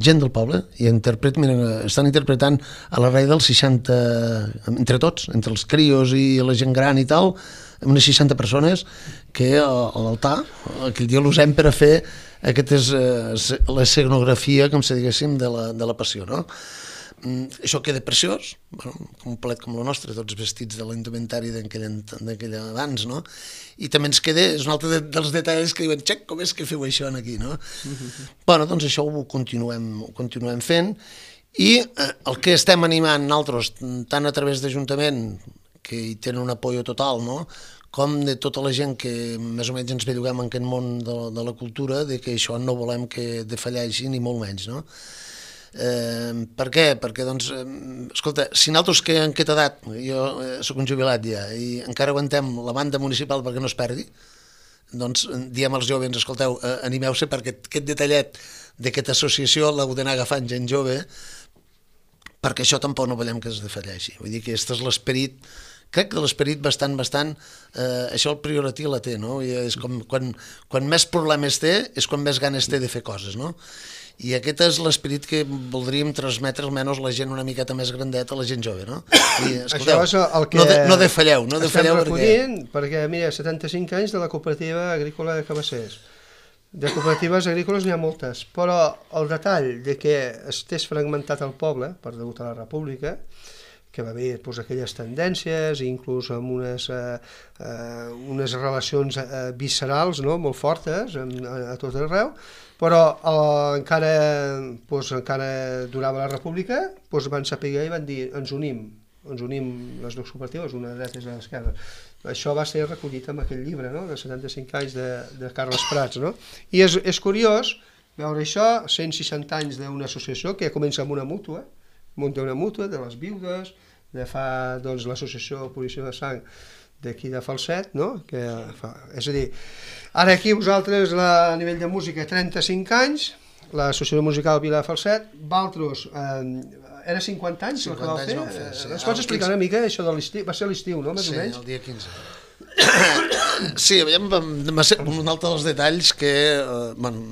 gent del poble, i interpret, mira, estan interpretant a la rei dels seixanta, entre tots, entre els crios i la gent gran i tal, unes seixanta persones que a l'altar, aquell dia l'usem per a fer aquestes, eh, l'escenografia, com se diguéssim, de la, de la passió, no? Mm, això queda preciós, bueno, complet com el nostre, tots vestits de l'indumentari d'aquell abans, no? I també ens queda, és un altre de, dels detalls que diuen, xec, com és que feu això aquí, no? Mm-hmm. Bueno, doncs això ho continuem, ho continuem fent, i eh, el que estem animant nosaltres, tant a través d'Ajuntament, que hi tenen un apoyo total, no? Com de tota la gent que més o menys ens belluguem en aquest món de, de la cultura, de que això no volem que defalleixi ni molt menys, no? Eh, per què? Perquè, doncs, eh, escolta, si nosaltres que en aquesta edat, jo eh, soc un jubilat ja, i encara aguantem la banda municipal perquè no es perdi, doncs diem als jovens, escolteu, eh, animeu-se perquè aquest detallet d'aquesta associació l'heu d'anar agafant gent jove, perquè això tampoc no volem que es defalleixi. Vull dir que aquest és l'esperit, crec que l'esperit bastant, bastant, eh, això el prioratí la té, no? I és com, quan, quan més problemes té, és quan més ganes té de fer coses, no? I aquest és l'esperit que voldríem transmetre almenys la gent una miqueta més grandeta, a la gent jove, no? I, escolteu, això és el que no, de, no defalleu, no defalleu estem recollint, perquè... perquè, mira, setanta-cinc anys de la cooperativa agrícola de Cabassers. De cooperatives agrícoles n'hi ha moltes, però el detall de que estés fragmentat el poble, per degut a la república, que va haver doncs, aquelles tendències, inclús amb unes, eh, eh, unes relacions eh, viscerals, no?, molt fortes a, a tot arreu, però eh, encara, doncs, encara durava la república, doncs van saber i van dir ens unim, ens unim les dues cooperatives, una dreta i l'esquerra. Això va ser recollit en aquell llibre, no?, de setanta-cinc anys de, de Carles Prats, no? I és, és curiós veure això, cent seixanta anys d'una associació que comença amb una mútua, munta una mútua de les viudes, de fa doncs, l'associació Purició de Sang d'aquí de Falset, no? Que fa, és a dir, ara aquí vosaltres la, a nivell de música trenta-cinc anys, l'associació musical Vila de Falset, Valtros eh, era cinquanta anys el que vau fer? fer sí. Es pots explicar una mica això de l'estiu? Va ser l'estiu, no? Més sí, o menys? el dia quinze. Sí, aviam, va ser un altre dels detalls que eh, bueno,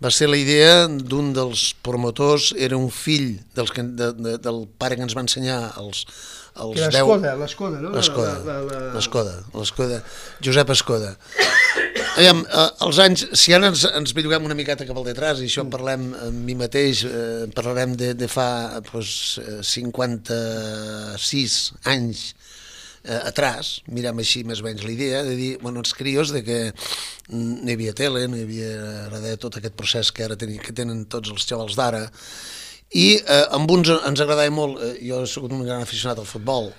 va ser la idea d'un dels promotors, era un fill dels que, de, de, del pare que ens va ensenyar els, els que l'Escoda, l'Escoda, no? L'Escoda, la, la, la... l'Escoda, l'Escoda, Josep Escoda. Aviam, eh, els anys, si ara ens, ens belluguem una miqueta cap al detrás, i això parlem amb mi mateix, eh, parlarem de, de fa pues, cinquanta-sis anys eh, atrás, mirem així més o menys la idea, de dir, bueno, els crios, de que no hi havia tele, no hi havia res de tot aquest procés que ara tenen, que tenen tots els xavals d'ara, i eh, amb uns ens agradava molt, eh, jo he sigut un gran aficionat al futbol,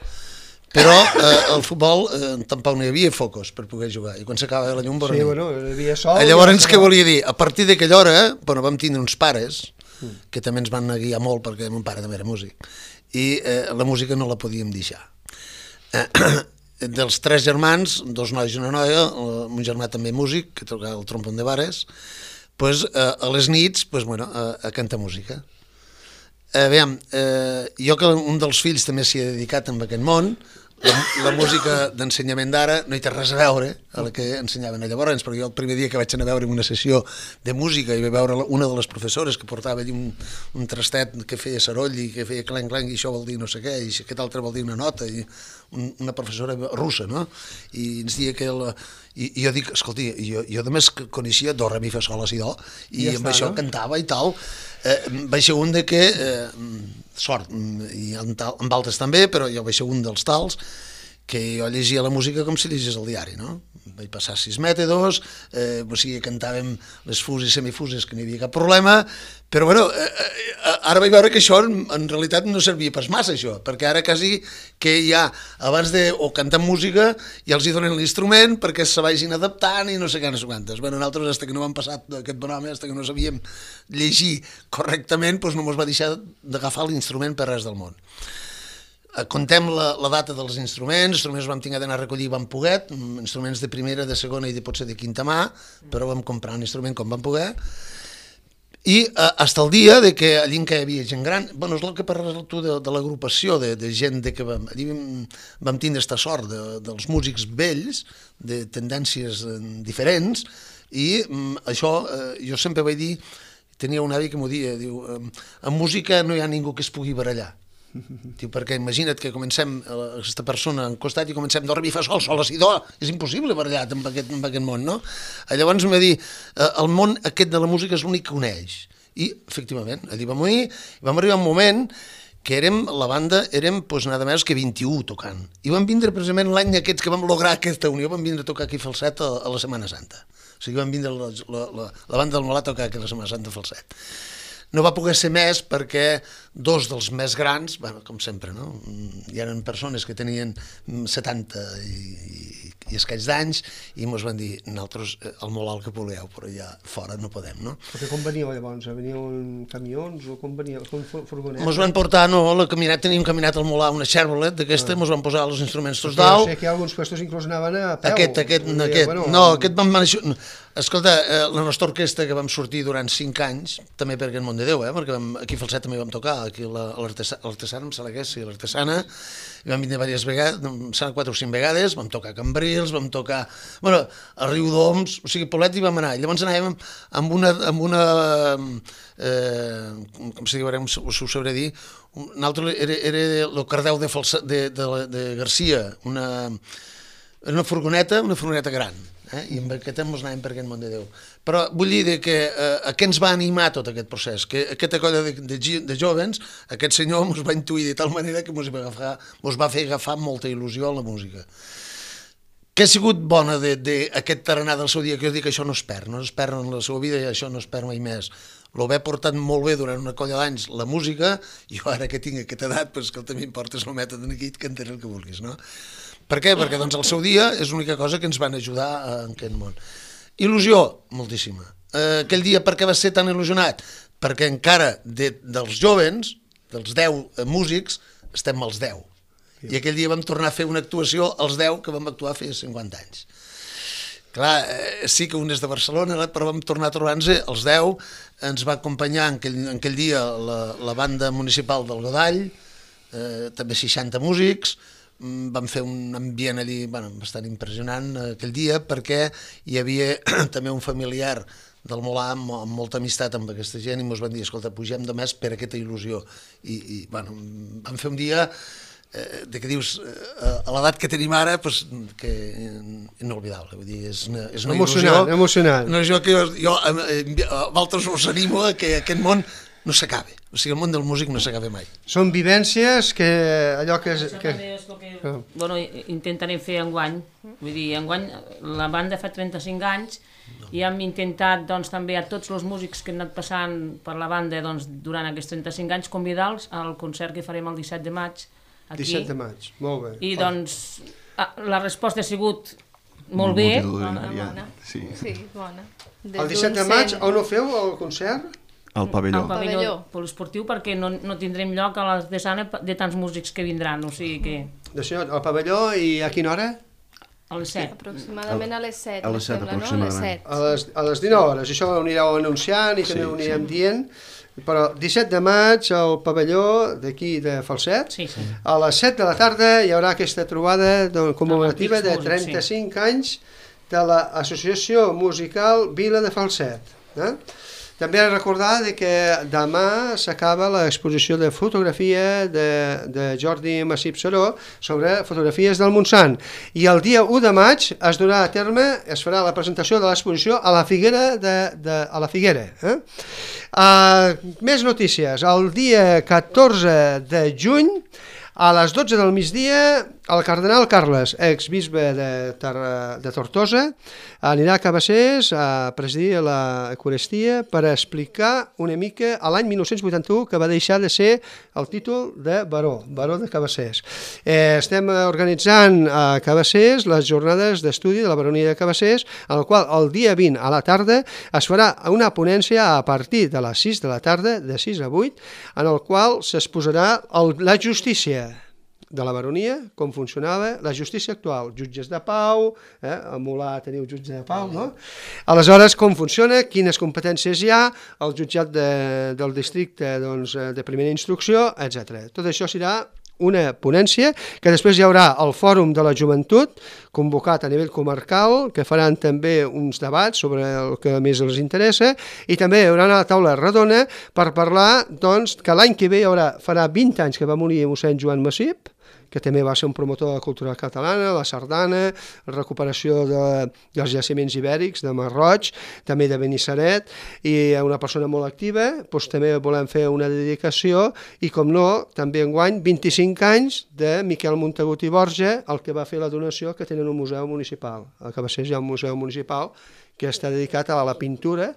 però eh, el futbol eh, tampoc no hi havia focus per poder jugar, i quan s'acaba la llum... Sí, bueno, hi havia sol... Llavors, què volia dir? A partir d'aquella hora, bueno, vam tindre uns pares, que també ens van guiar molt, perquè mon pare també era músic, i eh, la música no la podíem deixar. Eh, dels tres germans, dos nois i una noia, eh, un germà també músic, que tocava el trompon de bares, pues, eh, a les nits, pues, bueno, a, a cantar música. Eh, veiem, eh, jo que un dels fills també s'hi ha dedicat en aquest món, la, la música d'ensenyament d'ara no hi té res a veure a la que ensenyaven a llavors, perquè jo el primer dia que vaig anar a veure una sessió de música i vaig veure una de les professores que portava allí un, un trastet que feia saroll i que feia clenc-clenc i això vol dir no sé què, i aquest altre vol dir una nota, i un, una professora russa, no? I ens deia que... La, i, i jo dic, escolti, jo, jo només coneixia do, re, mi, fa, sol, la, si, do, i ja amb està, això no? Cantava i tal. Eh, vaig ser un de que, eh, sort, i en, tal, en altres també, però jo vaig ser un dels tals, que jo llegia la música com si llegís el diari, no? Vaig passar sis mètodes, eh, o sigui, cantàvem les fuses i semifuses, que no hi havia cap problema, però bueno, eh, eh, ara vaig veure que això en, en realitat no servia pas massa, això, perquè ara quasi que ja, abans de o cantar música, ja els hi donen l'instrument perquè se vagin adaptant i no sé què, no sé quantes. Bueno, nosaltres, fins que no vam passar aquest bon home, fins que no sabíem llegir correctament, doncs no ens va deixar d'agafar l'instrument per res del món. Contem la, la data dels instruments, instruments vam tinguer d'anar a recollir vam poder, instruments de primera, de segona i de potser de quinta mà, però vam comprar un instrument com vam poder, i eh, fins al dia de que allí que hi havia gent gran, bueno, és el que parles tu de, de l'agrupació, de, de gent de que vam, allí vam, vam tindre aquesta sort de, dels músics vells, de tendències eh, diferents, i mm, això eh, jo sempre vaig dir, tenia un avi que m'ho dia, diu, eh, en música no hi ha ningú que es pugui barallar. Diu, perquè imagina't que comencem aquesta persona en costat i comencem do, re, mi, fa, sol, sol, la, si, do, és impossible barallat en aquest, en aquest món, no? Llavors em va dir, el món aquest de la música és l'únic que uneix, i efectivament, allà vam unir, vam arribar un moment que érem, la banda, érem pues, nada més que vint-i-u tocant, i vam vindre precisament l'any aquests que vam lograr aquesta unió, vam vindre a tocar aquí a Falset a, a la Setmana Santa, o sigui, vam vindre la, la, la, la banda del Molà a tocar aquí a la Setmana Santa a Falset. No va poder ser més perquè dos dels més grans, bueno, com sempre, no? Hi eren persones que tenien setanta i, i, i escaig d'anys i ens van dir, nosaltres el molt alt que voleu, però ja fora no podem, no? Perquè com veníeu llavors? Veníeu en camions o com veníeu? Com furgonetes? Ens van portar, no, la caminat, teníem caminat al Molà, una Chevrolet d'aquesta, ens ah. van posar els instruments tots dalt. Jo sé que alguns puestos inclús anaven a peu. Aquest, aquest, dir, aquest, bueno, no, aquest vam manejar... Escolta, eh, la nostra orquestra que vam sortir durant cinc anys, també per aquest món de Déu, eh, perquè vam, aquí a Falset també vam tocar, aquí a l'Artesana, em sembla que és, sí, l'Artesana, i vam vindre diverses vegades, em sembla quatre o cinc vegades, vam tocar a Cambrils, vam tocar, bueno, a Riudoms, o sigui, Poblet hi vam anar, i llavors anàvem amb una, amb una eh, com se diu, ara us ho sabré dir, un altre era, era el Cardeu de, Falset, de, de, de Garcia, una, una furgoneta, una furgoneta gran, eh? I amb aquest ens anàvem per aquest món de Déu. Però vull dir que eh, a què ens va animar tot aquest procés? Que aquesta colla de, de, de jovens, aquest senyor ens va intuir de tal manera que ens va, agafar, ens va fer agafar molta il·lusió a la música. Què ha sigut bona d'aquest tarannà del seu dia? Que jo dic que això no es perd, no es perd en la seva vida i això no es perd mai més. L'ho he portat molt bé durant una colla d'anys, la música, i jo ara que tinc aquesta edat, pues, que també importes el mètode aquí, et cantaré el que vulguis, no? Per què? Perquè doncs, el seu dia és l'única cosa que ens van ajudar en aquest món. Il·lusió, moltíssima. Eh, aquell dia per què va ser tan il·lusionat? Perquè encara de, dels jovens, dels deu músics, estem als deu. I aquell dia vam tornar a fer una actuació als deu que vam actuar feia cinquanta anys. Clar, eh, sí que un és de Barcelona, però vam tornar a trobar-nos als deu, ens va acompanyar en aquell, en aquell dia la, la banda municipal del Godall, eh, també seixanta músics, vam fer un ambient allí bueno, bastant impressionant aquell dia perquè hi havia també un familiar del Molà amb, amb molta amistat amb aquesta gent i ens van dir, escolta, pugem de més per aquesta il·lusió. I, i bueno, vam fer un dia eh, de que dius, eh, a l'edat que tenim ara, pues, que inolvidable. Vull dir, és una, és una emocionant, il·lusió. Emocionant, una il·lusió que jo, jo eh, a vosaltres us animo a que aquest món no s'acabi. O sigui, el món del músic no s'acaba mai. Són vivències que allò que... Això que... també és el que bueno, intentarem fer enguany. Vull dir, enguany la banda fa trenta-cinc anys i hem intentat doncs, també a tots els músics que han anat passant per la banda doncs, durant aquests trenta-cinc anys convidar-los al concert que farem el disset de maig aquí. disset de maig, molt bé. I doncs la resposta ha sigut molt bé. Bona. Sí. Sí, bona. El disset de maig, on ho feu, el concert? Al pavelló. Al pavelló poliesportiu, perquè no, no tindrem lloc a la desana de tants músics que vindran, o sigui que... D'això, al pavelló, i a quina hora? A les set. Aproximadament a les set, a les set, sembla, no? A les set. A les, a les dinou hores, això ho anireu anunciant i també Sí, ho anirem sí. dient, però disset de maig al pavelló d'aquí de Falset, Sí, sí. a les set de la tarda hi haurà aquesta trobada de, commemorativa Amb de antics músics, trenta-cinc anys de l'Associació Musical Vila de Falset. Eh? També he de recordar de que demà s'acaba l'exposició de fotografia de, de Jordi Massip Saró sobre fotografies del Montsant. I el dia u de maig es durà a terme, es farà la presentació de l'exposició a la Figuera. De, de, a la Figuera eh? uh, més notícies. El dia catorze de juny, a les dotze del migdia, el cardenal Carles, exbisbe de, de Tortosa, anirà a Cabassers a presidir l'Eucaristia per explicar una mica a l'any mil nou-cents vuitanta-u que va deixar de ser el títol de baró, baró de Cabassers. Eh, estem organitzant a Cabassers les jornades d'estudi de la baronia de Cabassers, en el qual el dia vint a la tarda es farà una ponència a partir de les sis de la tarda, de sis a vuit, en el qual s'exposarà el, la justícia de la baronia, com funcionava la justícia actual, jutges de pau, eh, a Molà teniu jutge de pau, no? Aleshores, com funciona, quines competències hi ha, el jutjat de, del districte doncs, de primera instrucció, etcètera. Tot això serà una ponència, que després hi haurà el Fòrum de la Joventut, convocat a nivell comarcal, que faran també uns debats sobre el que més els interessa, i també hi haurà una taula redona per parlar doncs, que l'any que ve hi haurà, farà vint anys que va morir mossèn Joan Massip, que també va ser un promotor de la cultura catalana, la sardana, la recuperació de, dels jaciments ibèrics, de Marroig, també de Benissaret, i una persona molt activa, doncs també volem fer una dedicació, i com no, també enguany, vint-i-cinc anys de Miquel Montagut i Borja, el que va fer la donació que tenen un museu municipal. A Cabassers hi ha un museu municipal que està dedicat a la pintura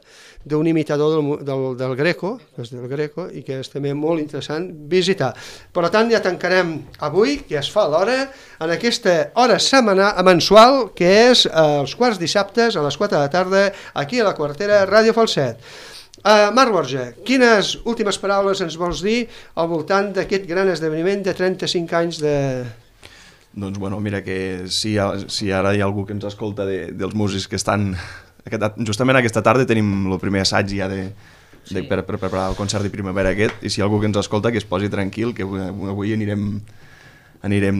d'un imitador del, del, del Greco, que és del Greco, i que és també molt interessant visitar. Per tant, ja tancarem avui, que es fa l'hora, en aquesta hora setmanal, mensual, que és els quarts dissabtes a les quatre de la tarda, aquí a la Quartera, Ràdio Falset. Uh, Marc Borja, quines últimes paraules ens vols dir al voltant d'aquest gran esdeveniment de trenta-cinc anys de... Doncs bueno, mira que si, si ara hi ha algú que ens escolta de, dels músics que estan... Aquest, justament aquesta tarda tenim el primer assaig ja de, de, sí. per, per preparar el concert de primavera aquest, i si hi ha algú que ens escolta que es posi tranquil, que avui anirem, anirem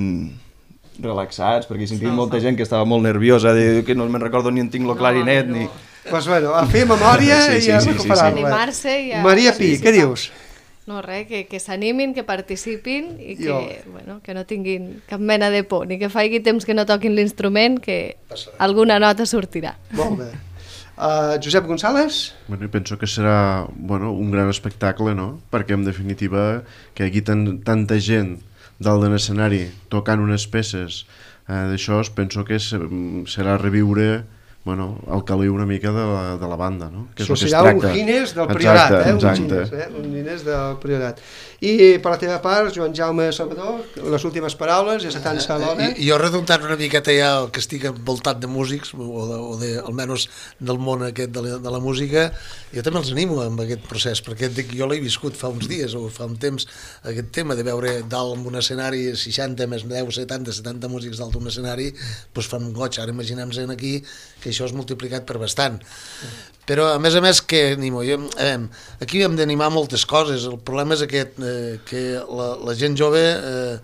relaxats, perquè he sentit no, molta no. gent que estava molt nerviosa, de, que no me'n recordo ni en tinc el clarinet, no, no. ni... Pues bueno, a fer memòria sí, sí, i a sí, recuperar-la. Sí, sí, sí. A... Maria Pi, què dius? No, res, que, que s'animin, que participin i que, bueno, que no tinguin cap mena de por, ni que faci temps que no toquin l'instrument, que alguna nota sortirà. Molt bé. Uh, Josep González? Bueno, penso que serà bueno, un gran espectacle, no? Perquè en definitiva que aquí tan, tanta gent dalt de l'escenari tocant unes peces eh, d'això, penso que serà reviure bueno, el caliu una mica de la, de la banda, no? Que és Això el que es serà un tracta. Guinness del Priorat, Exacte, eh? Un exacte. Guinness, eh? Un Guinness del Priorat. I per la teva part, Joan Jaume Salvador, les últimes paraules, ja se tansa l'hora. I, jo redundant una miqueta ja el que estic envoltat de músics, o, de, o de, almenys del món aquest de la, de la música, jo també els animo amb aquest procés, perquè dic, jo l'he viscut fa uns dies o fa un temps, aquest tema de veure dalt en un escenari seixanta més deu, setanta, setanta músics dalt d'un escenari, doncs fan un goig. Ara imaginem-nos aquí que això és multiplicat per bastant. Però a més a més que animo, jo, eh, aquí hem d'animar moltes coses. El problema és aquest, eh, que la, la gent jove eh,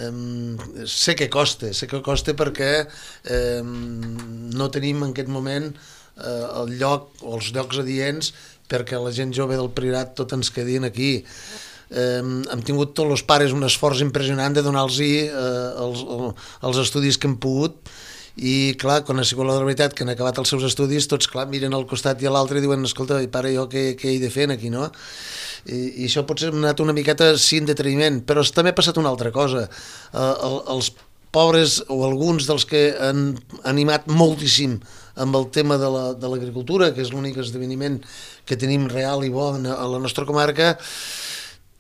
eh, sé que costa, sé que costa perquè eh, no tenim en aquest moment eh, el lloc o els llocs adients perquè la gent jove del Priorat tot ens quedin aquí. Eh, hem tingut tots els pares un esforç impressionant de donar-los eh, els, els estudis que hem pogut. I clar, quan ha sigut la veritat que han acabat els seus estudis, tots clar, miren al costat i a l'altre i diuen, escolta, pare, jo què, què he de fer aquí, no? I, i això potser ha anat una miqueta sí en deteniment, però també ha passat una altra cosa. Uh, el, els pobres o alguns dels que han animat moltíssim amb el tema de l'agricultura, la, que és l'únic esdeveniment que tenim real i bo a la nostra comarca,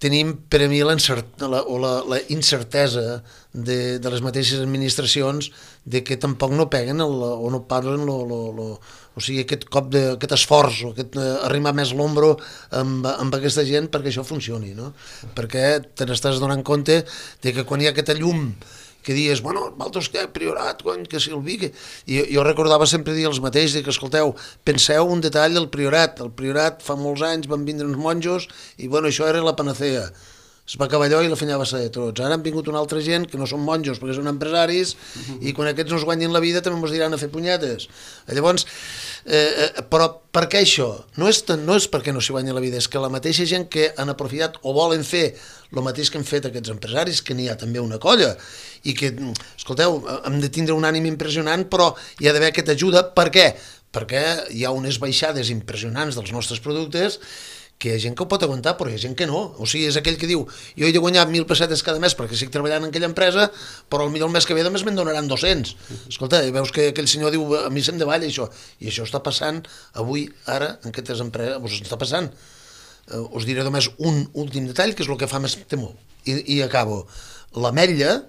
tenim per a mi la, o la, la incertesa de, de les mateixes administracions de que tampoc no peguen el, o no parlen lo, lo, lo, o sigui, aquest cop de, aquest esforç o aquest uh, arrimar més l'ombro amb, amb aquesta gent perquè això funcioni, no? Perquè te n'estàs donant compte de que quan hi ha aquesta llum que dius, bueno, vosaltres què, Priorat, quan, que Silví, que... I jo recordava sempre dir els mateix, que escolteu, penseu un detall del Priorat, el Priorat fa molts anys van vindre uns monjos i bueno, això era la panacea, es va acabar allò i la feina va ser de tots. Ara han vingut una altra gent que no són monjos perquè són empresaris i quan aquests no es guanyin la vida també ens diran a fer punyetes. Llavors, eh, però per què això? No és, no és perquè no s'hi guanyi la vida, és que la mateixa gent que han aprofitat o volen fer el mateix que han fet aquests empresaris, que n'hi ha també una colla, i que, escolteu, hem de tindre un ànim impressionant, però hi ha d'haver aquesta ajuda. Per què? Perquè hi ha unes baixades impressionants dels nostres productes que hi ha gent que ho pot aguantar, però hi ha gent que no. O sigui, és aquell que diu, jo he de guanyar mil pessetes cada mes perquè estic treballant en aquella empresa, però potser el mes que ve només me'n donaran dos-cents. Escolta, veus que aquell senyor diu, a mi se'm davalla això. I això està passant avui, ara, en aquestes empreses, us està passant. Uh, us diré només un últim detall, que és el que fa més temor. I, i acabo. L'ametlla,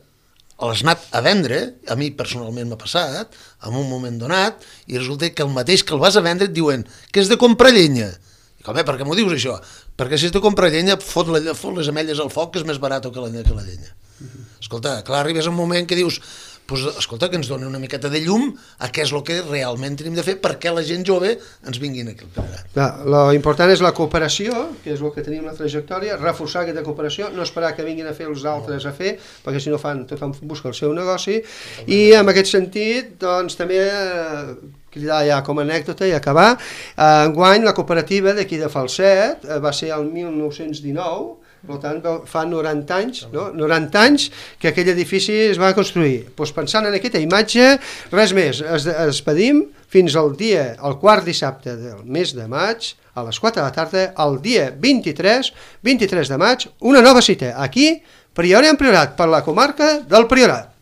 l'has anat a vendre, a mi personalment m'ha passat, en un moment donat, i resulta que el mateix que el vas a vendre et diuen que és de comprar llenya. Com, eh, per què m'ho dius això? Perquè si has de comprar llenya, fot, la, fot les ametlles al foc, que és més barat que la, que la llenya. Escolta, clar, arribes a un moment que dius, pues, escolta, que ens doni una miqueta de llum a què és el que realment tenim de fer perquè la gent jove ens vinguin aquí al Priorat. L'important és la cooperació, que és el que tenim la trajectòria, reforçar aquesta cooperació, no esperar que vinguin a fer els altres a fer, perquè si no fan, tothom busca el seu negoci, i en aquest sentit, doncs, també cridar ja com a anècdota i acabar, enguany la cooperativa d'aquí de Falset va ser el mil nou-cents dinou, per tant fa noranta anys, no? noranta anys que aquell edifici es va construir. Doncs pensant en aquesta imatge, res més, es despedim fins al dia, el quart dissabte del mes de maig, a les quatre de la tarda, el dia vint-i-tres, vint-i-tres de maig, una nova cita, aquí, Priorat en Priorat, per la comarca del Priorat.